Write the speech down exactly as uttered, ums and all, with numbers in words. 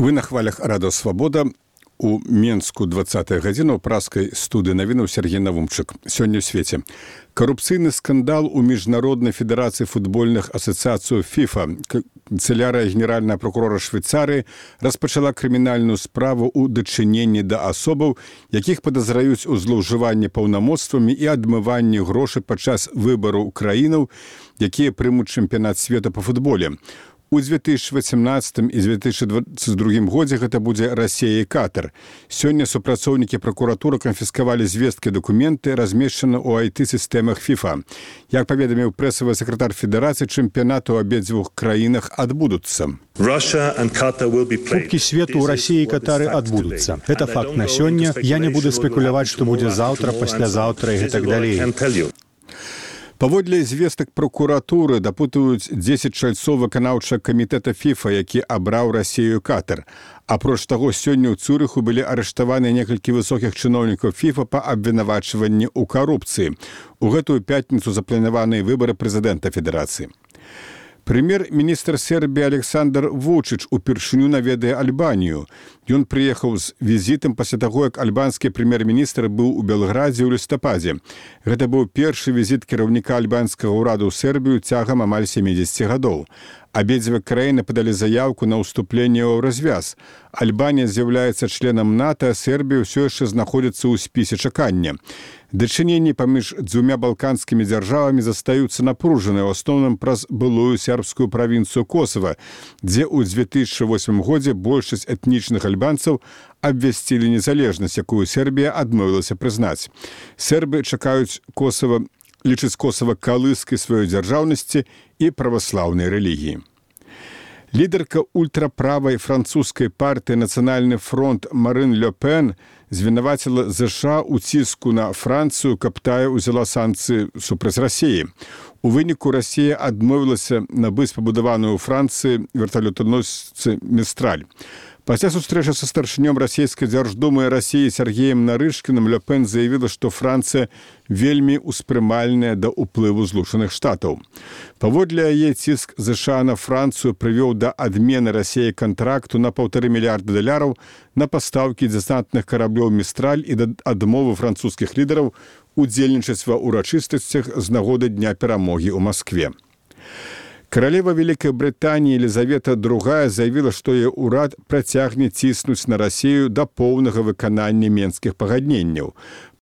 Вы на хвалях Радио Свобода. У Менску двадцатая гадзіна ў праскай студыі навінаў Сергей Навумчык. Сёння ў свеце. Карупцыйны скандал у Міжнароднай федэрацыі футбольных асацыяцый ФІФА. Канцылярыя генеральная прокурора Швейцарыі распачала крымінальную справу ў дачыненні да асобаў, якіх падазраюць у злоўжыванні паўнамоцтвамі і адмыванні грошай падчас выбараў краінаў, якія прымуць чэмпіянат свету па футболе. У две тысячи восемнадцатым і две тысячи двадцать другім годзе гэта будзе Расія і Катар. Сёння супрацоўнікі пракуратуры канфіскавалі звесткі дакументы, размешчаны ў ай ти-сістэмах ФІФА. Як паведаміў прэсавы сакратар федэрацыі, чэмпіянаты ў абедзвюх краінах адбудуцца. Кубки свету ў Расіі і Катары адбудуцца. Это факт на сёння. Я не буду спекуляваць, што будзе заўтра, паслязаўтра і гэтак далей. Паводле звестак прокуратуры дапытваюць дзесяць чальцоў выканаўчага камітэта ФІФА, які абраў Расію і Катар. Апроч таго, сёння ў Цюрыху былі арыштаваны некалькі высокіх чыноўнікаў ФІФА па абвінавачванні ў карупцыі. У гэтую пятніцу запланаваныя выбары прэзідэнта федэрацыі. Прэм'ер-міністр Сербіі Александр Вучыч упершыню наведае Альбанію. Ён прыехаў з візітам пасля таго, як альбанскі прэм'ер-міністр быў у Белградзе ў лістападзе. Гэта быў першы візіт кіраўніка альбанскага ўраду ў Сербію цягам амаль сямідзесяці гадоў. Абедзве краіны падалі заяўку на ўступленне ў развяз. Альбанія з'яўляецца членам НАТО, а Сербія ўсё яшчэ знаходзіцца ў спісе чакання. Дачыненні паміж дзвюмя балканскімі дзяржавамі застаюцца напружаныя, ў асноўным праз былую сербскую правінцыю Косава, дзе ў две тысячи восьмым годзе большасць этнічных альбанцаў абвясцілі незалежнасць, якую Сербія адмовілася прызнаць. Сербы чакаюць Косава лічыць Косава калыскай сваёй дзяржаўнасці і праваслаўнай рэлігіі. Лідарка ультраправай французскай партыі «Нацыянальны фронт» Марин Ле Пен звінаваціла ЗША ў ціску на Францыю, каб тая ўзяла санкцыі супраць Расіі. У выніку Расія адмовілася набыць пабудаваную ў Францыі верталётаносцы «Містраль». Пасля сустрэчы са старшынём расійскай дзярждумы Расіі Сергеем Нарышкіным Ле Пен заявіла, што Францыя вельмі ўспрымальная да ўплыву Злучаных Штатаў. Паводле яе ціск ЗША на Францыю прывёў да адмены Расіі кантракту на паўтары мільярда даляраў на пастаўкі дэсантных караблёў «Містраль» і да адмовы французскіх лідараў удзельнічаць ва ўрачыстасцях з нагоды Дня перамогі ў Маскве. Каралева Вялікай Брытаніі Елізавета другая заявіла, што яе ўрад працягне ціснуць на Расію да поўнага выканання менскіх пагадненняў.